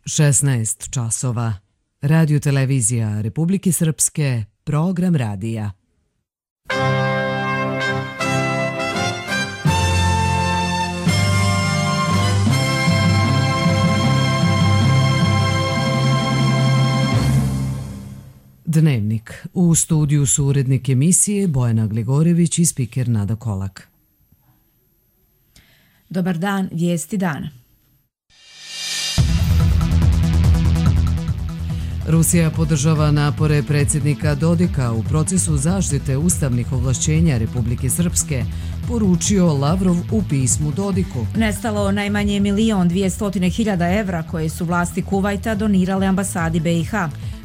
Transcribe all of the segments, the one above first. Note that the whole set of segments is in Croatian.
16 časova. Radio televizija Republike Srpske, program radija. Dnevnik. U studiju su urednik emisije Bojana Gligorević i spiker Nada Kolak. Dobar dan, vijesti dana. Rusija podržava napore predsjednika Dodika u procesu zaštite ustavnih ovlašćenja Republike Srpske, poručio Lavrov u pismu Dodiku. Nestalo najmanje 1.200.000 evra koje su vlasti Kuvajta donirale ambasadi BiH.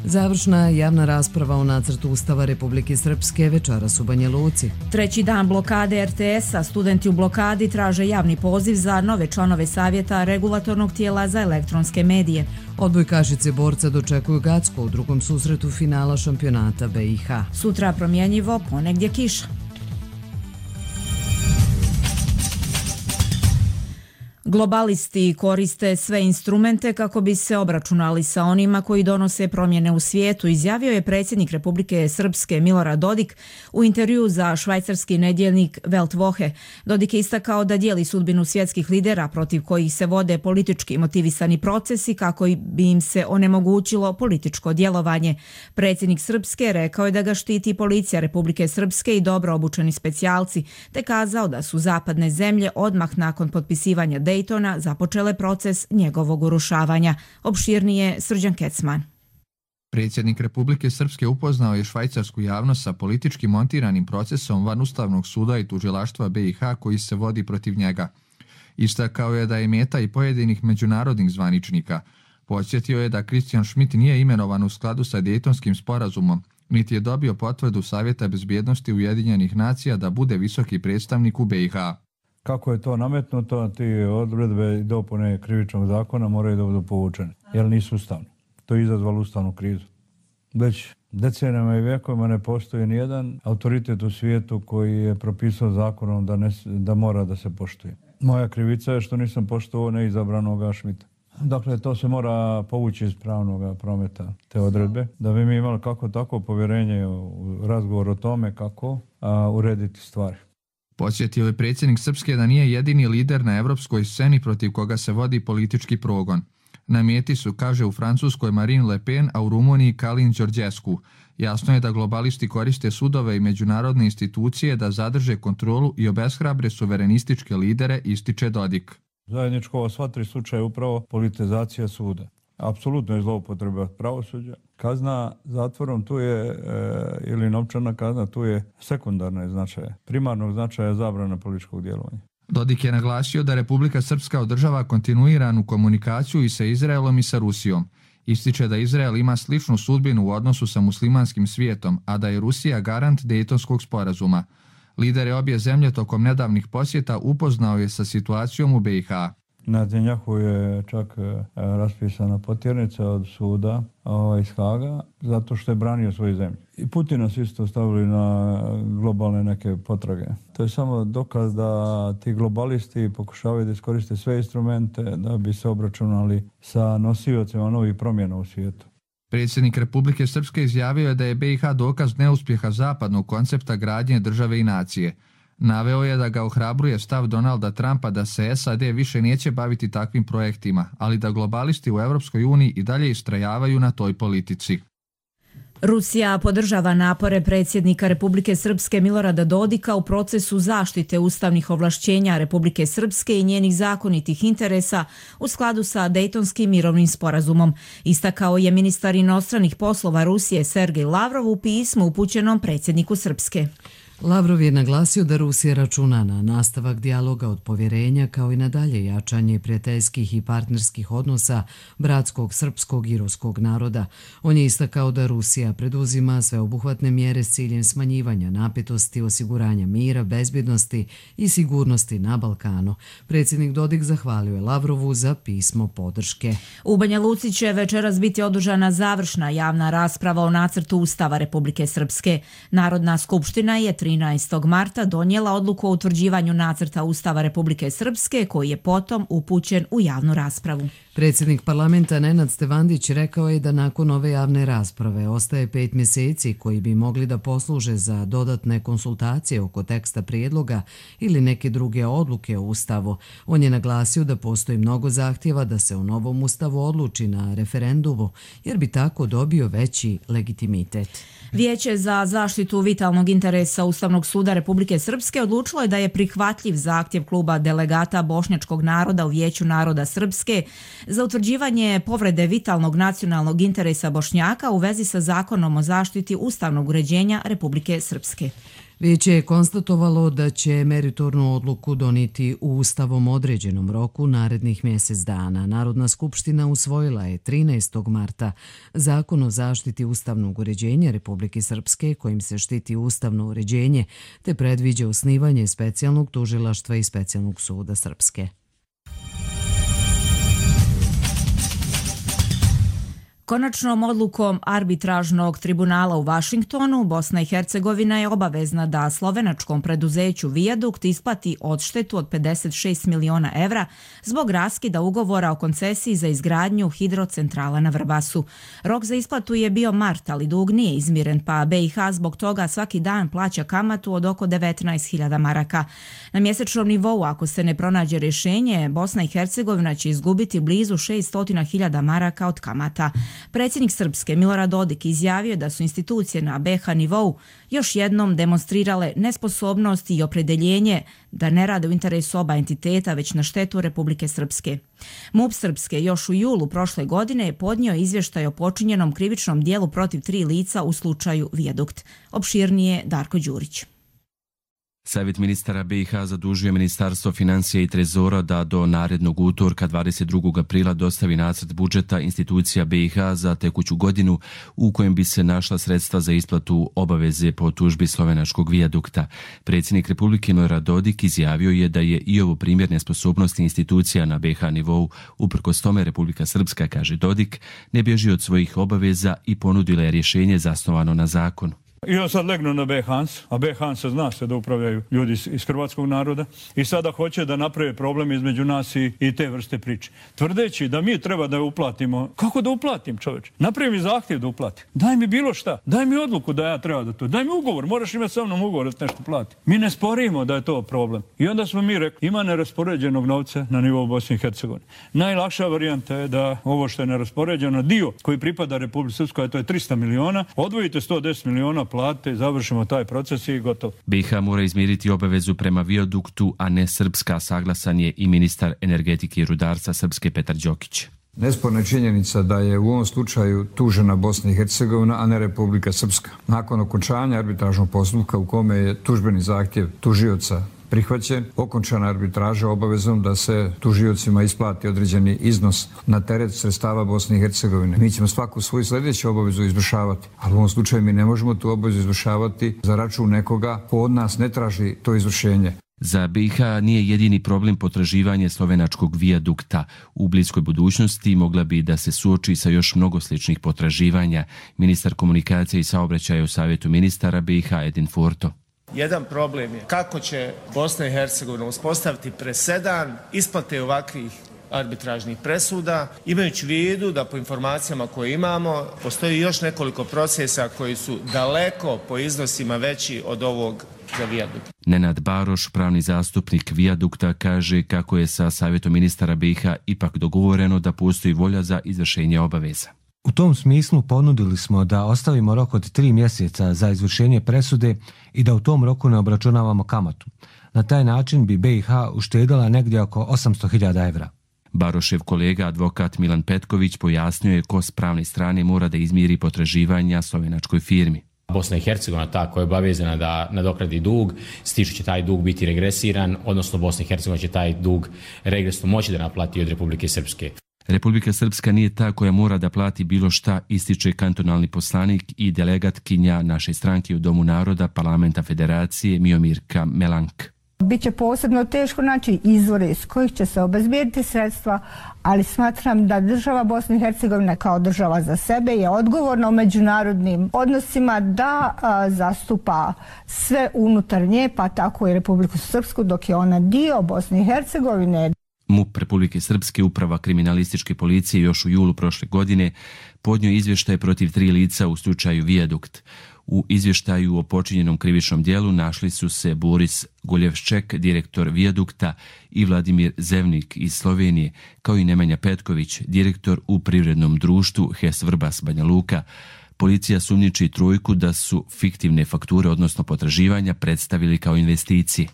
Završna javna rasprava o nacrtu Ustava Republike Srpske večeras u Banja Luci. Treći dan blokade RTS-a, studenti u blokadi traže javni poziv za nove članove savjeta regulatornog tijela za elektronske medije. Odbojkašice borca dočekuju Gacko u drugom susretu finala šampionata BiH. Sutra promjenjivo, ponegdje kiša. Globalisti koriste sve instrumente kako bi se obračunali sa onima koji donose promjene u svijetu, izjavio je predsjednik Republike Srpske Milorad Dodik u intervjuu za švajcarski nedjeljnik Weltwoche. Dodik je istakao da dijeli sudbinu svjetskih lidera protiv kojih se vode politički motivisani procesi kako bi im se onemogućilo političko djelovanje. Predsjednik Srpske rekao je da ga štiti policija Republike Srpske i dobro obučeni specijalci, te kazao da su zapadne zemlje odmah nakon potpisivanja Daytona započele proces njegovog urušavanja. Opširnije Srđan Kecman. Predsjednik Republike Srpske upoznao je švajcarsku javnost sa politički montiranim procesom van Ustavnog suda i tužilaštva BiH koji se vodi protiv njega. Istakao je da je meta i pojedinih međunarodnih zvaničnika. Podsjetio je da Christian Schmidt nije imenovan u skladu sa Dejtonskim sporazumom, niti je dobio potvrdu Savjeta bezbjednosti Ujedinjenih nacija da bude visoki predstavnik u BiH. Kako je to nametnuto, ti odredbe i dopune krivičnog zakona moraju da budu povučene, jer nisu ustavne. To je izazvalo ustavnu krizu. Već decenijama i vjekovima ne postoji nijedan autoritet u svijetu koji je propisao zakonom da mora da se poštuje. Moja krivica je što nisam poštovao neizabranoga Šmita. Dakle, to se mora povući iz pravnog prometa, te odredbe, da bi mi imali kako tako povjerenje u razgovor o tome kako urediti stvari. Podsjetio je predsjednik Srpske da nije jedini lider na evropskoj sceni protiv koga se vodi politički progon. Na meti su, kaže u Francuskoj Marine Le Pen, a u Rumuniji Calin Georgescu. Jasno je da globalisti koriste sudove i međunarodne institucije da zadrže kontrolu i obeshrabre suverenističke lidere, ističe Dodik. Zajedničko sva tri slučaja je upravo politizacija suda. Apsolutno je zloupotreba pravosuđa. Kazna zatvorom tu je, ili novčana kazna, tu je sekundarne značaje. Primarnog značaja je zabrana političkog djelovanja. Dodik je naglasio da Republika Srpska održava kontinuiranu komunikaciju i sa Izraelom i sa Rusijom. Ističe da Izrael ima sličnu sudbinu u odnosu sa muslimanskim svijetom, a da je Rusija garant Dejtonskog sporazuma. Lidere obje zemlje tokom nedavnih posjeta upoznao je sa situacijom u BiH. Na Netanjahu je čak raspisana potjernica od suda iz Haga zato što je branio svoju zemlju. I Putina su isto stavili na globalne neke potrage. To je samo dokaz da ti globalisti pokušavaju da iskoriste sve instrumente da bi se obračunali sa nosiocima novih promjena u svijetu. Predsjednik Republike Srpske izjavio je da je BiH dokaz neuspjeha zapadnog koncepta gradnje države i nacije. Naveo je da ga ohrabruje stav Donalda Trumpa da se SAD više neće baviti takvim projektima, ali da globalisti u Europskoj uniji i dalje istrajavaju na toj politici. Rusija podržava napore predsjednika Republike Srpske Milorada Dodika u procesu zaštite ustavnih ovlašćenja Republike Srpske i njenih zakonitih interesa u skladu sa Dejtonskim mirovnim sporazumom. Istakao je ministar inostranih poslova Rusije Sergej Lavrov u pismu upućenom predsjedniku Srpske. Lavrov je naglasio da Rusija računa na nastavak dijaloga od povjerenja kao i na dalje jačanje prijateljskih i partnerskih odnosa bratskog srpskog i ruskog naroda. On je istakao da Rusija preduzima sveobuhvatne mjere s ciljem smanjivanja napetosti, osiguranja mira, bezbjednosti i sigurnosti na Balkanu. Predsjednik Dodik zahvalio je Lavrovu za pismo podrške. U Banja Luci će večeras biti održana završna javna rasprava o nacrtu Ustava Republike Srpske. Narodna skupština je 13. marta donijela odluku o utvrđivanju nacrta Ustava Republike Srpske, koji je potom upućen u javnu raspravu. Predsjednik parlamenta Nenad Stevandić rekao je da nakon ove javne rasprave ostaje 5 mjeseci koji bi mogli da posluže za dodatne konsultacije oko teksta prijedloga ili neke druge odluke o Ustavu. On je naglasio da postoji mnogo zahtjeva da se u novom Ustavu odluči na referendumu, jer bi tako dobio veći legitimitet. Vijeće za zaštitu vitalnog interesa Ustavnog suda Republike Srpske odlučilo je da je prihvatljiv zahtjev kluba delegata bošnjačkog naroda u Vijeću naroda Srpske za utvrđivanje povrede vitalnog nacionalnog interesa Bošnjaka u vezi sa Zakonom o zaštiti ustavnog uređenja Republike Srpske. Vijeće je konstatovalo da će meritornu odluku donijeti u ustavom određenom roku narednih mjesec dana. Narodna skupština usvojila je 13. marta Zakon o zaštiti ustavnog uređenja Republike Srpske kojim se štiti ustavno uređenje te predviđa osnivanje specijalnog tužilaštva i specijalnog suda Srpske. Konačnom odlukom arbitražnog tribunala u Vašingtonu, Bosna i Hercegovina je obavezna da slovenačkom preduzeću Viadukt isplati odštetu od 56 miliona evra zbog raskida ugovora o koncesiji za izgradnju hidrocentrala na Vrbasu. Rok za isplatu je bio mart, ali dug nije izmiren, pa BiH zbog toga svaki dan plaća kamatu od oko 19.000 maraka. Na mjesečnom nivou, ako se ne pronađe rješenje, Bosna i Hercegovina će izgubiti blizu 600.000 maraka od kamata. Predsjednik Srpske Milorad Dodik izjavio da su institucije na BiH nivou još jednom demonstrirale nesposobnost i opredeljenje da ne rade u interesu oba entiteta, već na štetu Republike Srpske. MUP Srpske još u julu prošle godine je podnio izvještaj o počinjenom krivičnom dijelu protiv 3 lica u slučaju Viadukt. Opširnije Darko Đurić. Savjet ministara BiH zadužuje Ministarstvo financija i trezora da do narednog utorka 22. aprila dostavi nacrt budžeta institucija BiH za tekuću godinu u kojem bi se našla sredstva za isplatu obaveze po tužbi slovenačkog Viadukta. Predsjednik Republike Milorad Dodik izjavio je da je i ovo primjer nesposobnosti institucija na BiH nivou. Uprkos tome Republika Srpska, kaže Dodik, ne bježi od svojih obaveza i ponudila je rješenje zasnovano na zakonu. I on sad legnu na B-Hans, a B-Hans zna se da upravljaju ljudi iz hrvatskog naroda i sada hoće da naprave problem između nas i te vrste priče. Tvrdeći da mi treba da uplatimo. Kako da uplatim, čoveč? Napravi mi zahtjev da uplatim. Daj mi bilo šta. Daj mi odluku da ja treba da to. Daj mi ugovor. Moraš imati sa mnom ugovor da nešto plati. Mi ne sporimo da je to problem. I onda smo mi rekli, ima neraspoređenog novca na nivou Bosne i Hercegovine. Najlakša varijanta je da ovo što je neraspoređeno, dio koji pripada Republici Srpskoj, to je 300 miliona, odvojite 110 miliona plate, završimo taj proces i gotovo. BiH mora izmiriti obavezu prema Viaduktu, a ne Srpska, saglasan je i ministar energetike i rudarstva Srpske Petar Đokić. Nesporna je činjenica da je u ovom slučaju tužena Bosna i Hercegovina, a ne Republika Srpska. Nakon okončanja arbitražnog postupka u kome je tužbeni zahtjev tužioca prihvaćen, okončana arbitraža obavezom da se tužiocima isplati određeni iznos na teret sredstava Bosne i Hercegovine. Mi ćemo svaku svoju sljedeću obavezu izvršavati, ali u ovom slučaju mi ne možemo tu obavezu izvršavati za račun nekoga ko od nas ne traži to izvršenje. Za BiH nije jedini problem potraživanje slovenačkog Viadukta. U bliskoj budućnosti mogla bi da se suoči sa još mnogo sličnih potraživanja. Ministar komunikacije i saobraćaja u Savjetu ministara BiH Edin Furto. Jedan problem je kako će Bosna i Hercegovina uspostaviti presedan isplate ovakvih arbitražnih presuda, imajući u vidu da po informacijama koje imamo postoji još nekoliko procesa koji su daleko po iznosima veći od ovog za Viadukt. Nenad Baroš, pravni zastupnik Viadukta, kaže kako je sa Savjetom ministara BiH ipak dogovoreno da postoji volja za izvršenje obaveza. U tom smislu ponudili smo da ostavimo rok od 3 mjeseca za izvršenje presude i da u tom roku ne obračunavamo kamatu. Na taj način bi BiH uštedila negdje oko 800.000 evra. Barošev kolega, advokat Milan Petković, pojasnio je ko s pravne strane mora da izmiri potraživanja slovenačkoj firmi. Bosna i Hercegovina ta koja je obavezana da nadokradi dug, s tim što će taj dug biti regresiran, odnosno Bosna i Hercegovina će taj dug regresno moći da naplati od Republike Srpske. Republika Srpska nije ta koja mora da plati bilo šta, ističe kantonalni poslanik i delegatkinja naše stranke u Domu naroda Parlamenta Federacije Miomirka Melank. Biće posebno teško naći izvore iz kojih će se obezbijediti sredstva, ali smatram da država Bosne i Hercegovine kao država za sebe je odgovorna u međunarodnim odnosima da zastupa sve unutar nje, pa tako i Republiku Srpsku, dok je ona dio Bosne i Hercegovine. MUP Republike Srpske, uprava kriminalističke policije, još u julu prošle godine podnio izvještaj protiv 3 lica u slučaju Vijadukt. U izvještaju o počinjenom krivičnom djelu našli su se Boris Goljevšček, direktor Vijadukta, i Vladimir Zevnik iz Slovenije, kao i Nemanja Petković, direktor u privrednom društvu HES Vrbas Banja Luka. Policija sumnjiči 3 da su fiktivne fakture, odnosno potraživanja, predstavili kao investicije.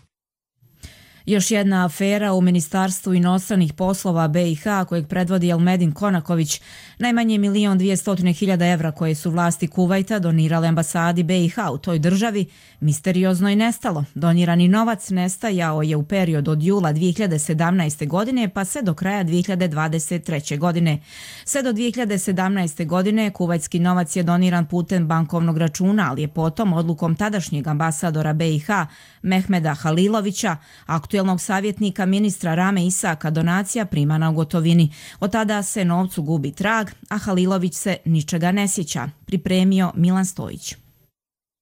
Još jedna afera u Ministarstvu inostranih poslova BiH, kojeg predvodi Elmedin Konaković, najmanje 1.200.000 evra koje su vlasti Kuvajta donirale ambasadi BiH u toj državi, misteriozno je nestalo. Donirani novac nestajao je u period od jula 2017. godine pa sve do kraja 2023. godine. Sve do 2017. godine kuvajtski novac je doniran putem bankovnog računa, ali je potom odlukom tadašnjeg ambasadora BiH Mehmeda Halilovića, aktuelnog savjetnika ministra Rame Isaka, donacija primana u gotovini. Od tada se novcu gubi trag, a Halilović se ničega ne sjeća. Pripremio Milan Stojić.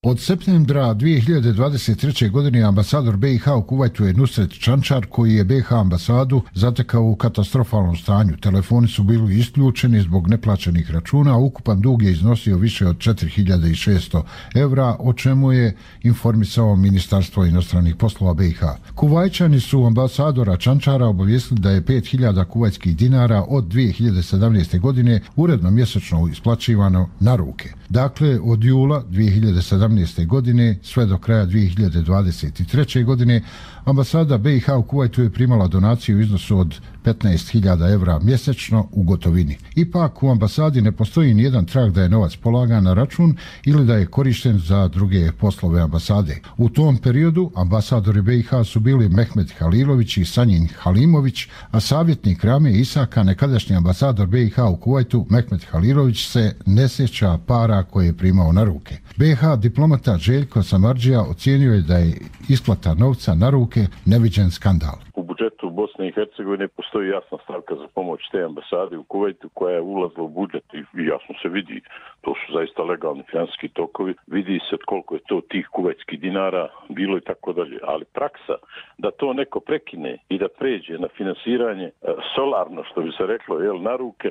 Od septembra 2023. godine ambasador BiH u Kuvajtu je Nusret Čančar, koji je BiH ambasadu zatekao u katastrofalnom stanju. Telefoni su bili isključeni zbog neplaćenih računa, a ukupan dug je iznosio više od 4.600 evra, o čemu je informisao Ministarstvo inostranih poslova BiH. Kuvajčani su ambasadora Čančara obavijestili da je 5.000 kuvajtskih dinara od 2017. godine uredno mjesečno isplaćivano na ruke. Dakle, od jula 2017. godine sve do kraja 2023. godine ambasada BiH u Kuvajtu je primala donaciju u iznosu od 15.000 evra mjesečno u gotovini. Ipak u ambasadi ne postoji nijedan trag da je novac polagan na račun ili da je korišten za druge poslove ambasade. U tom periodu ambasadori BiH su bili Mehmed Halilović i Sanjin Halimović, a savjetnik Rame Isaka, nekadašnji ambasador BiH u Kuvajtu Mehmed Halilović, se ne sjeća para koje je primao na ruke. BiH diplomata Željko Samardžija ocijenio je da je isplata novca na ruke neviđen skandal. U budžetu Bosne i Hercegovine postoji jasna stavka za pomoć te ambasade u Kuvajtu koja je ulazila u budžet i jasno se vidi, to su zaista legalni financijski tokovi, vidi se koliko je to tih kuvajtskih dinara bilo i tako dalje, ali praksa da to neko prekine i da pređe na finansiranje solarno, što bi se reklo, na ruke,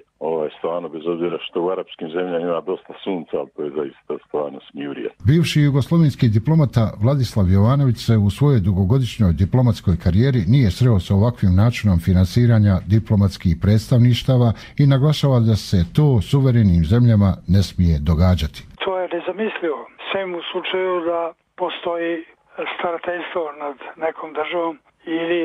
stvarno, bez obzira što u arapskim zemljama ima dosta sunca, ali to je zaista stvarno smijurija. Bivši jugoslovenski diplomata Vladislav Jovanović se u svojoj dugogodišnjoj diplomatskoj karijeri nije sreo sa ovakvim načinom finansiranja diplomatskih predstavništava i naglašava da se to suverenim zemljama ne smije događati. To je nezamislivo. Sem u slučaju da postoji starateljstvo nad nekom državom ili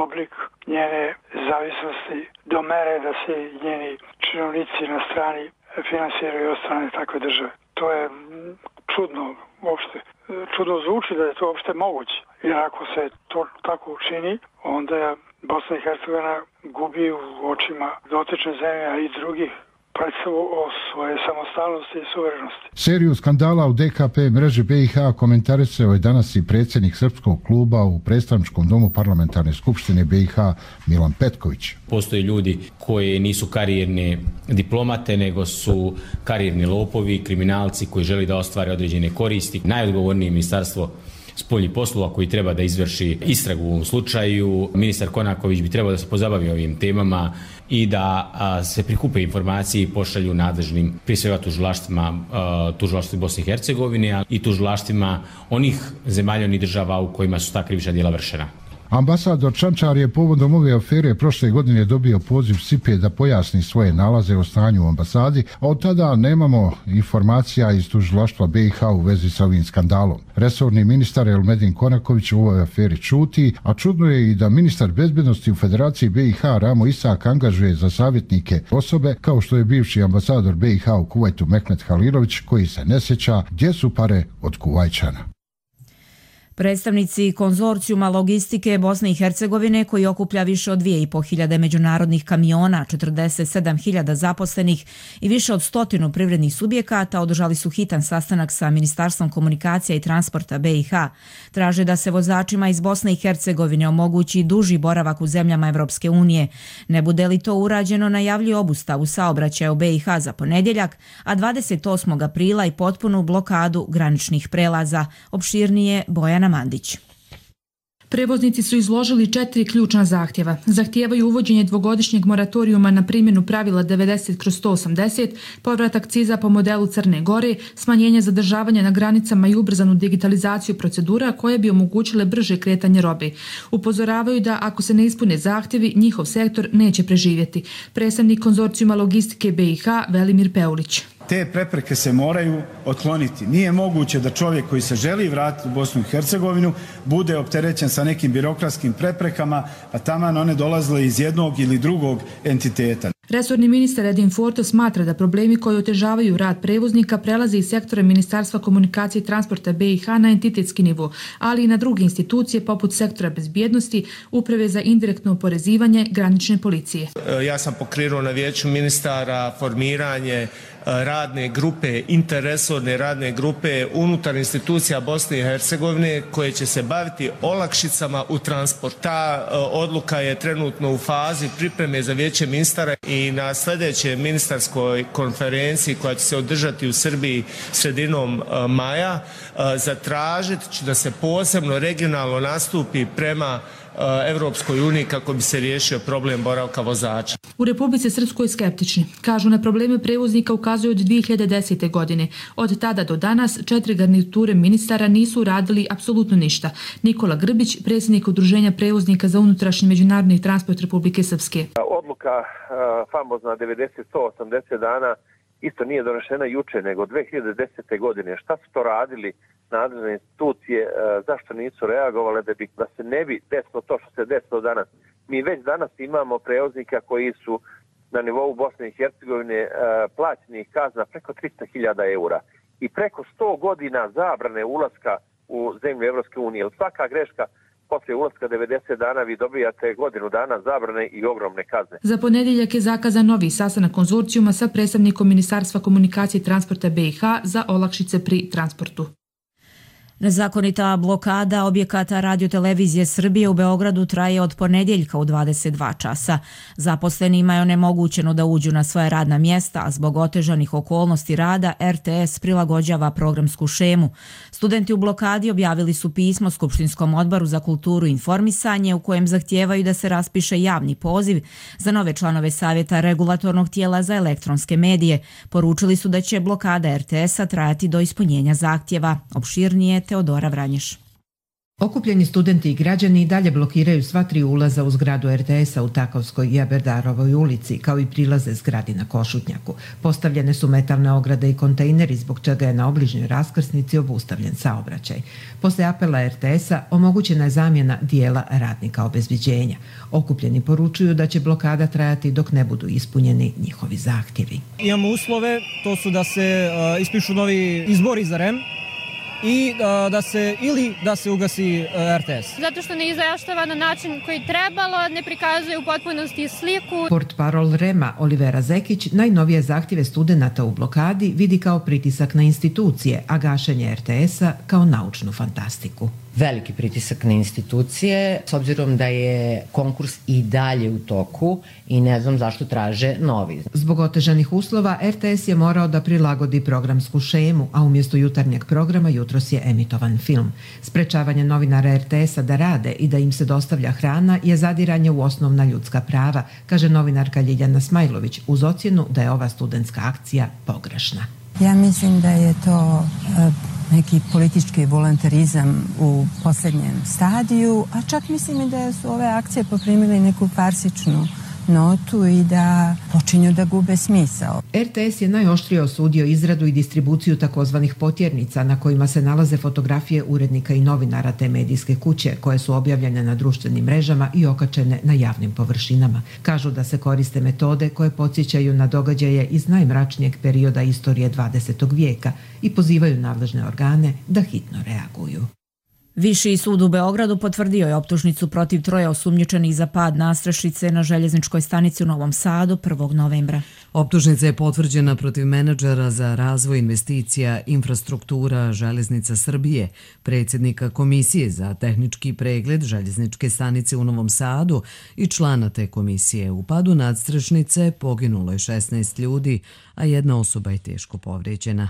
oblik njene zavisnosti do mere da se njeni činovnici na strani finansiraju od strane takve države. To je čudno uopšte. Čudno zvuči da je to uopšte moguće. Jer ako se to tako učini, onda Bosna i Hercegovina gubi u očima dotične zemlje i drugih predstavu o svoje samostalnosti i suverenosti. Seriju skandala u DKP mreže BiH komentarisao je danas i predsjednik Srpskog kluba u predstavničkom domu parlamentarne skupštine BiH Milan Petković. Postoje ljudi koji nisu karijerni diplomate, nego su karijerni lopovi, kriminalci koji želi da ostvare određene koristi. Najodgovornije ministarstvo spoljnih poslova koji treba da izvrši istragu u ovom slučaju. Ministar Konaković bi trebao da se pozabavi ovim temama i da se prikupe informacije i pošalju nadležnim, prije svega tužilaštvu Bosne i Hercegovine i tužilaštvima onih zemalja, onih država u kojima su ta krivična djela vršena. Ambasador Čančar je povodom ove afere prošle godine dobio poziv SIPE da pojasni svoje nalaze o stanju u ambasadi, a od tada nemamo informacija iz tužilaštva BiH u vezi sa ovim skandalom. Resorni ministar Elmedin Konaković u ovoj aferi čuti, a čudno je i da ministar bezbednosti u Federaciji BiH Ramo Isak angažuje za savjetnike osobe kao što je bivši ambasador BiH u Kuvajtu Mehmed Halilović, koji se ne sjeća gdje su pare od Kuvajčana. Predstavnici konzorcijuma logistike Bosne i Hercegovine, koji okuplja više od 2.500 međunarodnih kamiona, 47.000 zaposlenih i više od 100 privrednih subjekata, održali su hitan sastanak sa Ministarstvom komunikacija i transporta BiH. Traže da se vozačima iz Bosne i Hercegovine omogući duži boravak u zemljama Evropske unije. Ne bude li to urađeno, najavljuju obustavu saobraćaja u BiH za ponedjeljak, a 28. aprila i potpunu blokadu graničnih prelaza. Opširnije Bojana Mandić. Prevoznici su izložili 4 ključna zahtjeva. Zahtijevaju uvođenje dvogodišnjeg moratorijuma na primjenu pravila 90/180, povrat akciza po modelu Crne Gore, smanjenje zadržavanja na granicama i ubrzanu digitalizaciju procedura koje bi omogućile brže kretanje robe. Upozoravaju da ako se ne ispune zahtjevi, njihov sektor neće preživjeti. Predstavnik konzorcijuma logistike BiH Velimir Peulić. Te prepreke se moraju otkloniti. Nije moguće da čovjek koji se želi vratiti u Bosnu i Hercegovinu bude opterećen sa nekim birokratskim preprekama, pa taman one dolazile iz jednog ili drugog entiteta. Resorni ministar Edin Forto smatra da problemi koji otežavaju rad prevoznika prelaze iz sektora Ministarstva komunikacije i transporta BiH na entitetski nivo, ali i na druge institucije poput sektora bezbjednosti, uprave za indirektno oporezivanje, granične policije. Ja sam pokrenuo na vijeću ministara formiranje radne grupe, interresorne radne grupe unutar institucija Bosne i Hercegovine koje će se baviti olakšicama u transport. Ta odluka je trenutno u fazi pripreme za vijeće ministara i na sljedećoj ministarskoj konferenciji koja će se održati u Srbiji sredinom maja zatražit ću da se posebno regionalno nastupi prema Evropskoj uniji kako bi se riješio problem boravka vozača. U Republici Srpskoj skeptični. Kažu na probleme prevoznika ukazuju od 2010. godine. Od tada do danas 4 garniture ministara nisu uradili apsolutno ništa. Nikola Grbić, predsjednik Udruženja prevoznika za unutrašnji međunarodni transport Republike Srpske. Odluka famozna 90-180 dana isto nije donešena juče, nego 2010. godine. Šta su to radili nadležne institucije, zašto nisu reagovale da se ne bi desilo to što se desilo danas? Mi već danas imamo prevoznika koji su na nivou Bosne i Hercegovine plaćenih kazna preko 300.000 eura i preko 100 godina zabrane ulaska u zemlju Evropske unije. Svaka greška poslije ulaska 90 dana vi dobijate godinu dana zabrane i ogromne kazne. Za ponedjeljak je zakazan novi sastanak konzorcijuma sa predstavnikom Ministarstva komunikacije i transporta BiH za olakšice pri transportu. Nezakonita blokada objekata Radio-televizije Srbije u Beogradu traje od ponedjeljka u 22 časa. Zaposlenima je onemogućeno da uđu na svoje radna mjesta, a zbog otežanih okolnosti rada RTS prilagođava programsku šemu. Studenti u blokadi objavili su pismo Skupštinskom odboru za kulturu i informisanje u kojem zahtijevaju da se raspiše javni poziv za nove članove Savjeta regulatornog tijela za elektronske medije. Poručili su da će blokada RTS-a trajati do ispunjenja zahtjeva. Opširnije Teodora Vranješ. Okupljeni studenti i građani i dalje blokiraju sva 3 ulaza u zgradu RTS-a u Takovskoj i Aberdarovoj ulici, kao i prilaze zgradi na Košutnjaku. Postavljene su metalne ograde i kontejneri, zbog čega je na obližnjoj raskrsnici obustavljen saobraćaj. Poslije apela RTS-a omogućena je zamjena dijela radnika obezbeđenja. Okupljeni poručuju da će blokada trajati dok ne budu ispunjeni njihovi zahtjevi. Imamo uslove, to su da se ispišu novi izbori za REM, i da se ugasi RTS. Zato što ne izjašnjava na način koji trebalo, ne prikazuje u potpunosti sliku. Portparol REM-a Olivera Zekić najnovije zahtjeve studenata u blokadi vidi kao pritisak na institucije, a gašenje RTS-a kao naučnu fantastiku. Veliki pritisak na institucije, s obzirom da je konkurs i dalje u toku i ne znam zašto traže novi. Zbog otežanih uslova, RTS je morao da prilagodi programsku šemu, a umjesto jutarnjeg programa jutros je emitovan film. Sprečavanje novinara RTS-a da rade i da im se dostavlja hrana je zadiranje u osnovna ljudska prava, kaže novinarka Ljiljana Smajlović uz ocjenu da je ova studentska akcija pogrešna. Ja mislim da je to neki politički volontarizam u posljednjem stadiju, a čak mislim i da su ove akcije poprimile neku farsičnu notu i da počinju da gube smisao. RTS je najoštrije osudio izradu i distribuciju takozvanih potjernica na kojima se nalaze fotografije urednika i novinara te medijske kuće koje su objavljene na društvenim mrežama i okačene na javnim površinama. Kažu da se koriste metode koje podsjećaju na događaje iz najmračnijeg perioda istorije 20. vijeka i pozivaju nadležne organe da hitno reaguju. Viši sud u Beogradu potvrdio je optužnicu protiv 3 osumnjičenih za pad nadstrešnice na željezničkoj stanici u Novom Sadu 1. novembra. Optužnica je potvrđena protiv menadžera za razvoj investicija infrastruktura Železnica Srbije, predsjednika Komisije za tehnički pregled željezničke stanice u Novom Sadu i člana te komisije. U padu nadstrešnice poginulo je 16 ljudi, a jedna osoba je teško povrijeđena.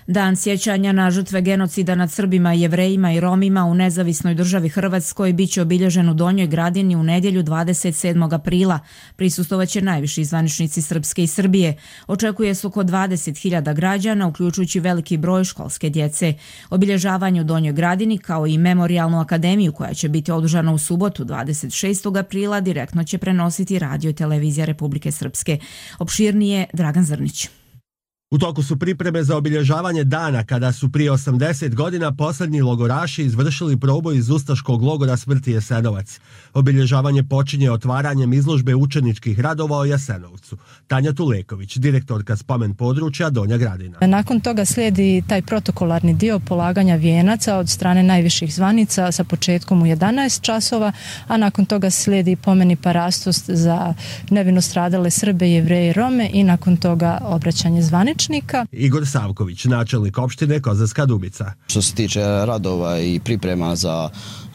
Dan sjećanja na žrtve genocida nad Srbima, Jevrejima i Romima u nezavisnoj državi Hrvatskoj biće obilježen u Donjoj Gradini u nedjelju 27. aprila. Prisustvovaće najviši zvaničnici Srpske i Srbije. Očekuje se oko 20.000 građana, uključujući veliki broj školske djece. Obilježavanje u Donjoj Gradini, kao i memorijalnu akademiju koja će biti održana u subotu 26. aprila, direktno će prenositi radio i televizija Republike Srpske. Opširnije Dragan Zrnić. U toku su pripreme za obilježavanje dana kada su prije 80 godina posljednji logoraši izvršili proboj iz ustaškog logora smrti Jasenovac. Obilježavanje počinje otvaranjem izložbe učeničkih radova o Jasenovcu. Tanja Tuleković, direktorka spomen područja Donja Gradina. Nakon toga slijedi taj protokolarni dio polaganja vijenaca od strane najviših zvanica sa početkom u 11 časova, a nakon toga slijedi pomeni parastost za nevino stradale Srbe, Jevreje i Rome i nakon toga obraćanje zvaničnika. Igor Savković, načelnik opštine Kozarska Dubica. Što se tiče radova i priprema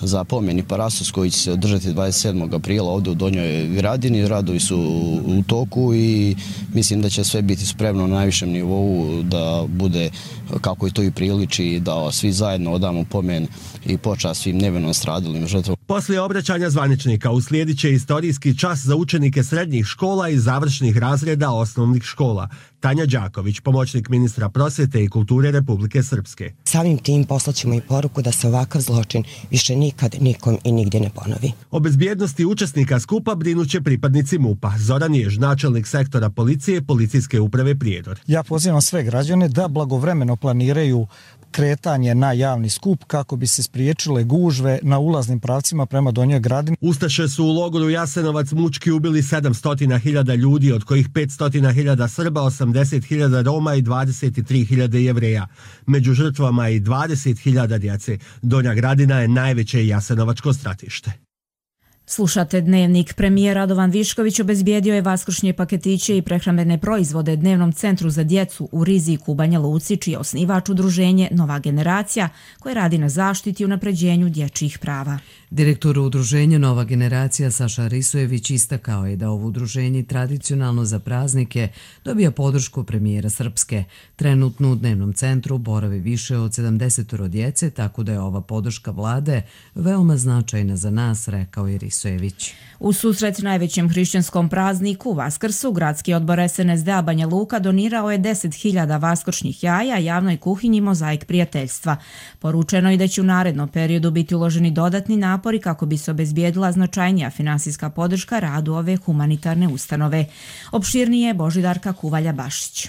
za pomeni parastos koji će se održati 27. aprila ovdje u Donjoj Gradini, radovi su u toku i mislim da će sve biti spremno na najvišem nivou da bude kako i to i priliči, da svi zajedno odamo pomen i počast svim nevino stradalim žrtvama. Poslije obraćanja zvaničnika uslijedit će istorijski čas za učenike srednjih škola i završnih razreda osnovnih škola. Tanja Đaković, pomoćnik ministra prosvjete i kulture Republike Srpske. Samim tim poslaćemo i poruku da se ovakav zločin više nikad, nikom i nigdje ne ponovi. O bezbjednosti učesnika skupa brinuće pripadnici MUP-a. Zoran Jež, načelnik sektora policije Policijske uprave Prijedor. Ja pozivam sve građane da blagovremeno planiraju kretanje na javni skup kako bi se spriječile gužve na ulaznim pravcima prema Donjoj Gradini. Ustaše su u logoru Jasenovac mučki ubili 700.000 ljudi, od kojih 500.000 Srba, 80.000 Roma i 23.000 Jevreja. Među žrtvama i 20.000 djece. Donja Gradina je najveće jasenovačko stratište. Slušate Dnevnik. Premijer Radovan Višković obezbijedio je vaskršnje paketiće i prehrambene proizvode Dnevnom centru za djecu u Riziku u Banja Luci, čiji je osnivač udruženje Nova generacija, koje radi na zaštiti i unapređenju dječjih prava. Direktor udruženja Nova generacija Saša Risojević istakao je da ovo udruženje tradicionalno za praznike dobija podršku premijera Srpske. Trenutno u Dnevnom centru boravi više od 70 djece, tako da je ova podrška vlade veoma značajna za nas, rekao je Risojević. U susret najvećem hrišćanskom prazniku Vaskrsu, gradski odbor SNSD-a Banja Luka donirao je 10.000 vaskršnjih jaja javnoj kuhinji Mozaik prijateljstva. Poručeno je da će u narednom periodu biti uloženi dodatni napori kako bi se obezbijedila značajnija finansijska podrška radu ove humanitarne ustanove. Opširnije Božidarka Kuvalja-Bašić.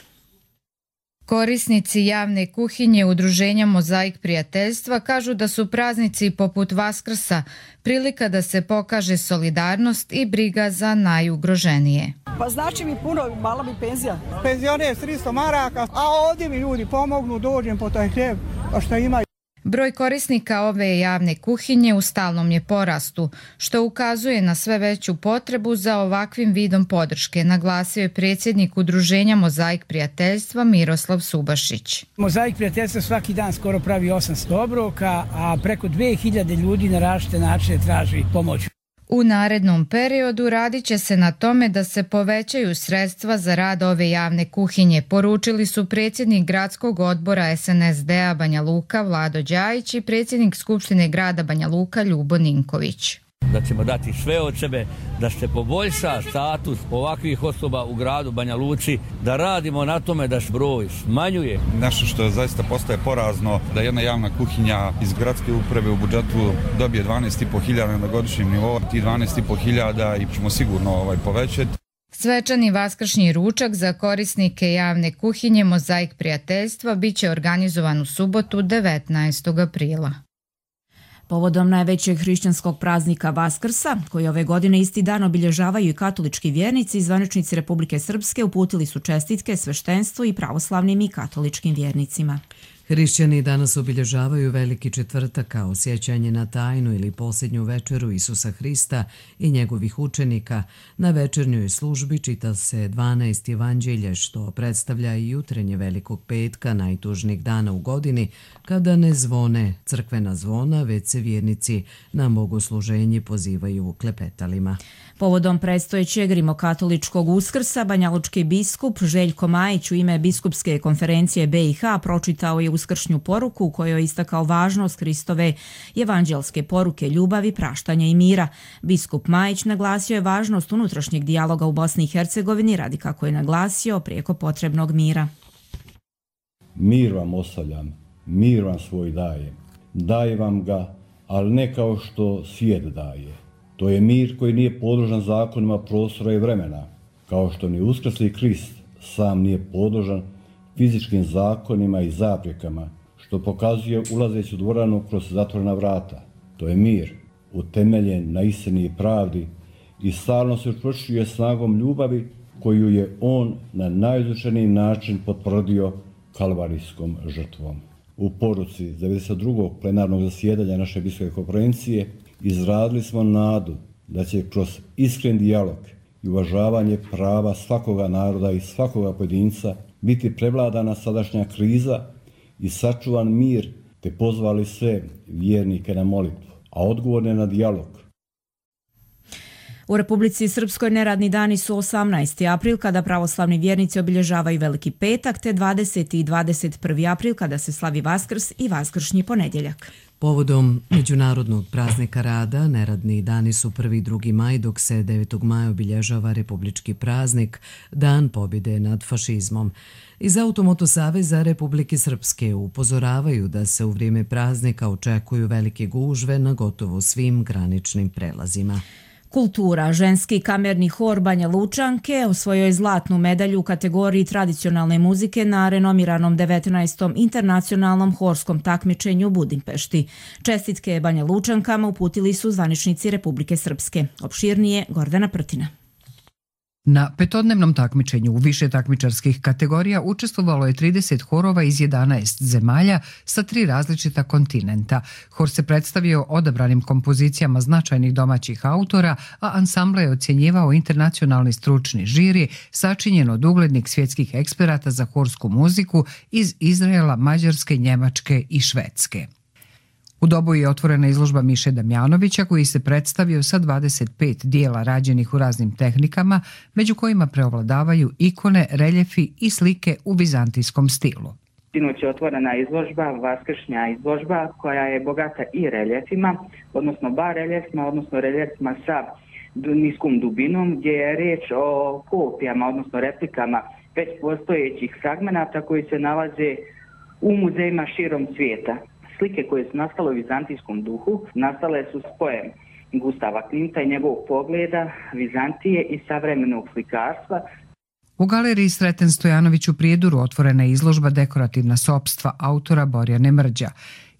Korisnici javne kuhinje udruženja Mozaik prijateljstva kažu da su praznici poput Vaskrsa prilika da se pokaže solidarnost i briga za najugroženije. Pa znači mi puno, mala mi penzija. Penzioner je 300 maraka, a ovdje mi ljudi pomognu, dođem po taj hljeb, pa što imaju. Broj korisnika ove javne kuhinje u stalnom je porastu, što ukazuje na sve veću potrebu za ovakvim vidom podrške, naglasio je predsjednik udruženja Mozaik prijateljstva Miroslav Subašić. Mozaik prijateljstva svaki dan skoro pravi 800 obroka, a preko 2000 ljudi na različite načine traži pomoć. U narednom periodu radit će se na tome da se povećaju sredstva za rad ove javne kuhinje, poručili su predsjednik gradskog odbora SNSD-a Banja Luka Vlado Đajić i predsjednik Skupštine grada Banja Luka Ljubo Ninković. Da ćemo dati sve od sebe da se poboljša status ovakvih osoba u gradu Banja Luci, da radimo na tome da se broj smanjuje. Nešto što zaista postaje porazno, da jedna javna kuhinja iz gradske uprave u budžetu dobije 12.500 na godišnjem nivou, ti 12.500 i ćemo sigurno povećati. Svečani vaskršnji ručak za korisnike javne kuhinje Mozaik prijateljstva biće organizovan u subotu 19. aprila. Povodom najvećeg hrišćanskog praznika Vaskrsa, koji ove godine isti dan obilježavaju i katolički vjernici, zvaničnici Republike Srpske uputili su čestitke sveštenstvu i pravoslavnim i katoličkim vjernicima. Hrišćani danas obilježavaju Veliki četvrtak kao sjećanje na tajnu ili posljednju večeru Isusa Hrista i njegovih učenika. Na večernjoj službi čita se 12 evanđelje, što predstavlja i jutrenje Velikog petka, najtužnijeg dana u godini, kada ne zvone crkvena zvona, već se vjernici na bogosluženje pozivaju klepetalima. Povodom predstojećeg rimokatoličkog Uskrsa, banjalučki biskup Željko Majić u ime Biskupske konferencije BiH pročitao je uskršnju poruku u kojoj je istakao važnost Hristove evanđelske poruke ljubavi, praštanja i mira. Biskup Majić naglasio je važnost unutrašnjeg dijaloga u Bosni i Hercegovini radi, kako je naglasio, prijeko potrebnog mira. Mir vam ostavljam, mir vam svoj dajem. Daje vam ga, ali ne kao što svijet daje. To je mir koji nije podložan zakonima prostora i vremena, kao što ni uskrsli Krist sam nije podložan fizičkim zakonima i zaprekama, što pokazuje ulazeći u dvoranu kroz zatvorena vrata. To je mir, utemeljen na istini i pravdi i stalno se učvršćuje snagom ljubavi koju je on na najizvučeniji način potvrdio kalvarijskom žrtvom. U poruci 92. plenarnog zasjedanja naše biskupske konferencije izradili smo nadu da će kroz iskren dijalog i uvažavanje prava svakoga naroda i svakoga pojedinca biti prevladana sadašnja kriza i sačuvan mir, te pozvali sve vjernike na molitvu, a odgovorne na dijalog. U Republici Srpskoj neradni dani su 18. april kada pravoslavni vjernici obilježavaju Veliki petak, te 20. i 21. april kada se slavi Vaskrs i Vaskršnji ponedjeljak. Povodom Međunarodnog praznika rada, neradni dani su 1. i 2. maj, dok se 9. maja obilježava republički praznik, Dan pobjede nad fašizmom. Iz Automoto saveza Republike Srpske upozoravaju da se u vrijeme praznika očekuju velike gužve na gotovo svim graničnim prelazima. Kultura. Ženski kamerni hor Banja Lučanke osvojio je zlatnu medalju u kategoriji tradicionalne muzike na renomiranom 19. internacionalnom horskom takmičenju u Budimpešti. Čestitke Banja Lučankama uputili su zvaničnici Republike Srpske. Opširnije Gordana Prtina. Na petodnevnom takmičenju u više takmičarskih kategorija učestvovalo je 30 horova iz 11 zemalja sa 3 različita kontinenta. Hor se predstavio odabranim kompozicijama značajnih domaćih autora, a ansambla je ocjenjivao internacionalni stručni žiri sačinjen od uglednih svjetskih eksperata za horsku muziku iz Izraela, Mađarske, Njemačke i Švedske. U Doboju je otvorena izložba Miše Damjanovića koji se predstavio sa 25 dijela rađenih u raznim tehnikama, među kojima preovladavaju ikone, reljefi i slike u vizantijskom stilu. Sinoć je otvorena izložba, Vaskršnja izložba, koja je bogata i reljefima, odnosno bareljefima, odnosno reljefima sa niskom dubinom, gdje je riječ o kopijama, odnosno replikama već postojećih fragmenata koji se nalaze u muzejima širom svijeta. Slike koje su nastale u vizantijskom duhu nastale su spojem Gustava Klimta i njegovog pogleda Vizantije i savremenog slikarstva. U galeriji Sreten Stojanović u Prijeduru otvorena je izložba Dekorativna sopstva autora Borjane Mrđa.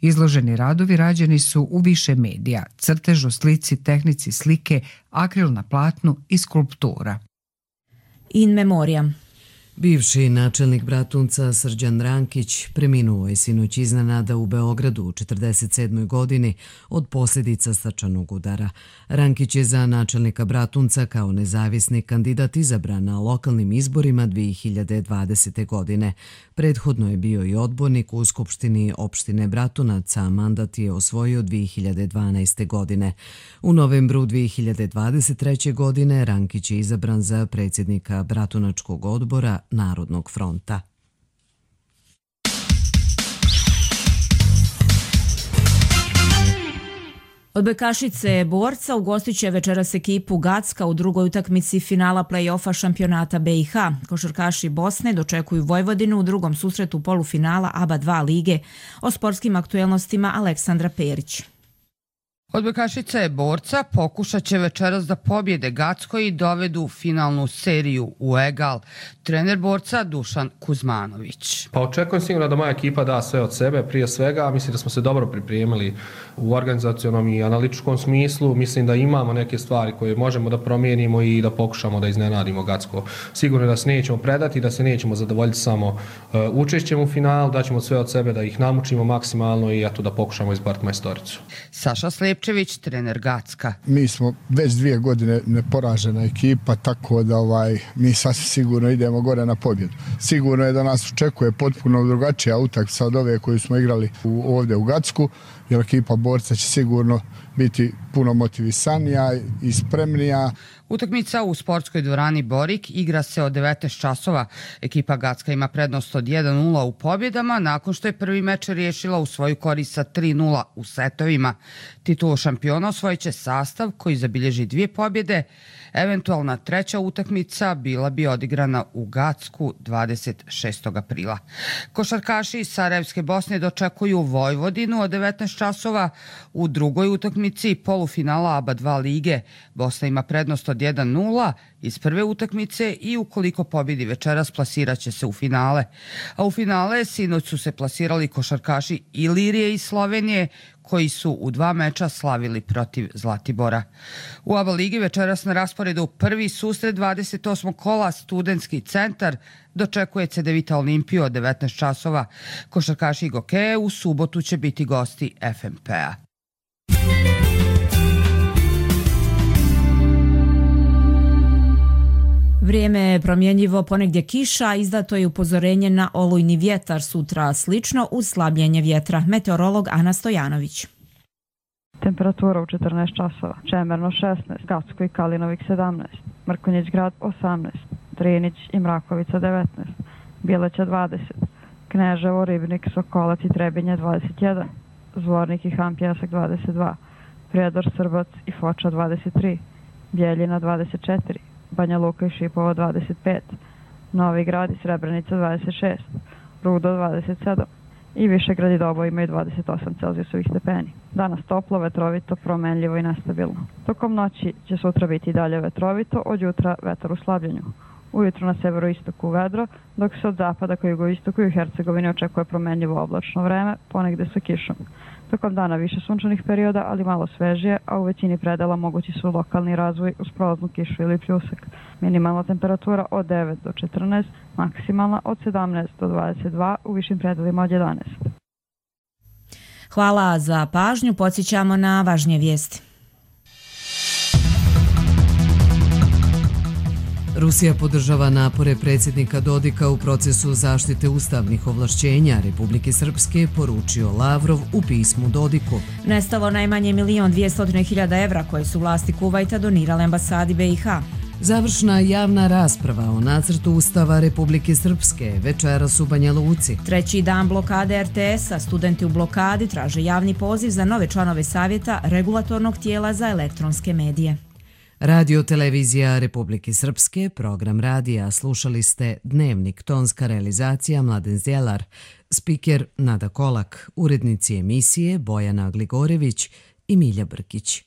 Izloženi radovi rađeni su u više medija, crtežu, slici, tehnici slike, akril na platnu i skulptura. In memoriam. Bivši načelnik Bratunca Srđan Rankić preminuo je sinoć iznenada u Beogradu u 47. godini od posljedica srčanog udara. Rankić je za načelnika Bratunca kao nezavisni kandidat izabran na lokalnim izborima 2020. godine. Prethodno je bio i odbornik u Skupštini opštine Bratunac, a mandat je osvojio 2012. godine. U novembru 2023. godine Rankić je izabran za predsjednika Bratunačkog odbora Narodnog fronta. Odbojkašice Borca ugostit će večeras ekipu Gacka u drugoj utakmici finala play-offa šampionata BiH. Košarkaši Bosne dočekuju Vojvodinu u drugom susretu polufinala ABA 2 lige. O sportskim aktuelnostima Aleksandra Perić. Odbojkašice Borca pokušat će večeras da pobjede Gacko i dovedu finalnu seriju u egal. Trener Borca Dušan Kuzmanović. Pa očekujem sigurno da moja ekipa da sve od sebe. Prije svega mislim da smo se dobro pripremili u organizacionom i analitičkom smislu. Mislim da imamo neke stvari koje možemo da promijenimo i da pokušamo da iznenadimo Gacko. Sigurno da se nećemo predati, da se nećemo zadovoljiti samo učešćem u finalu, da ćemo sve od sebe da ih namučimo maksimalno i da pokušamo izboriti majstoricu. Saša Slepčević, trener Gacka. Mi smo već 2 godine neporažena ekipa, tako da mi sasvim sigurno idemo gore na pobjedu. Sigurno je da nas očekuje potpuno drugačija utakmica od ove koju smo igrali ovdje u Gacku, jer ekipa Borca će sigurno biti puno motivisanija i spremnija. Utakmica u sportskoj dvorani Borik igra se od 19 časova. Ekipa Gacka ima prednost od 1-0 u pobjedama nakon što je prvi meč riješila u svoju korist sa 3-0 u setovima. Titulu šampiona osvojit će sastav koji zabilježi 2 pobjede. Eventualna treća utakmica bila bi odigrana u Gacku 26. aprila. Košarkaši iz Sarajevske Bosne dočekuju Vojvodinu od 19 časova u drugoj utakmici polufinala ABA 2 lige. Bosna ima prednost od 1-0 iz prve utakmice i ukoliko pobjedi večeras plasirat će se u finale. A u finale sinoć su se plasirali košarkaši Ilirije iz Slovenije koji su u 2 meča slavili protiv Zlatibora. U ABA ligi večeras na rasporedu prvi susret 28. kola Studentski centar dočekuje Cedevita Olimpiju od 19 časova. Košarkaši Gokeje u subotu će biti gosti FNP-a. Vrijeme je promjenjivo, ponegdje kiša, izdato je upozorenje na olujni vjetar, sutra slično uz slabljenje vjetra. Meteorolog Ana Stojanović. Temperatura u 14 časova. Čemerno 16, Gacko i Kalinovik 17, Mrkonjić grad 18, Drinić i Mrakovica 19, Bileća 20, Kneževo, Ribnik, Sokolac i Trebinje 21, Zvornik i Han Pjesak 22, Prijedor, Srbac i Foča 23, Bjeljina 24, Banja Luka i Šipovo 25, Novi Grad i Srebrenica 26, Rudo 27 i Višegrad i Doboj imaju 28 Celzijusovih stepeni. Danas toplo, vetrovito, promenljivo i nestabilno. Tokom noći će sutra biti i dalje vetrovito, od jutra vetar u slabljenju. Ujutro na severoistoku vedro, dok se od zapada ka jugoistoku i u Hercegovini očekuje promenljivo oblačno vreme, ponegde sa kišom. Tokom dana više sunčanih perioda, ali malo svežije, a u većini predela mogući su lokalni razvoj uz prolaznu kišu ili pljusak. Minimalna temperatura od 9 do 14, maksimalna od 17 do 22, u višim predelima od 11. Hvala za pažnju, podsjećamo na važnije vijesti. Rusija podržava napore predsjednika Dodika u procesu zaštite ustavnih ovlašćenja Republike Srpske, poručio Lavrov u pismu Dodiku. Nestalo najmanje 1.200.000 evra koje su vlasti Kuvajta donirale ambasadi BiH. Završna javna rasprava o nacrtu Ustava Republike Srpske večeras u Banja Luci. 3. dan blokade RTS-a, studenti u blokadi traže javni poziv za nove članove savjeta regulatornog tijela za elektronske medije. Radio Televizija Republike Srpske, program radija, slušali ste Dnevnik, tonska realizacija Mladen Zjelar, spiker Nada Kolak, urednici emisije Bojana Gligorević i Milja Brkić.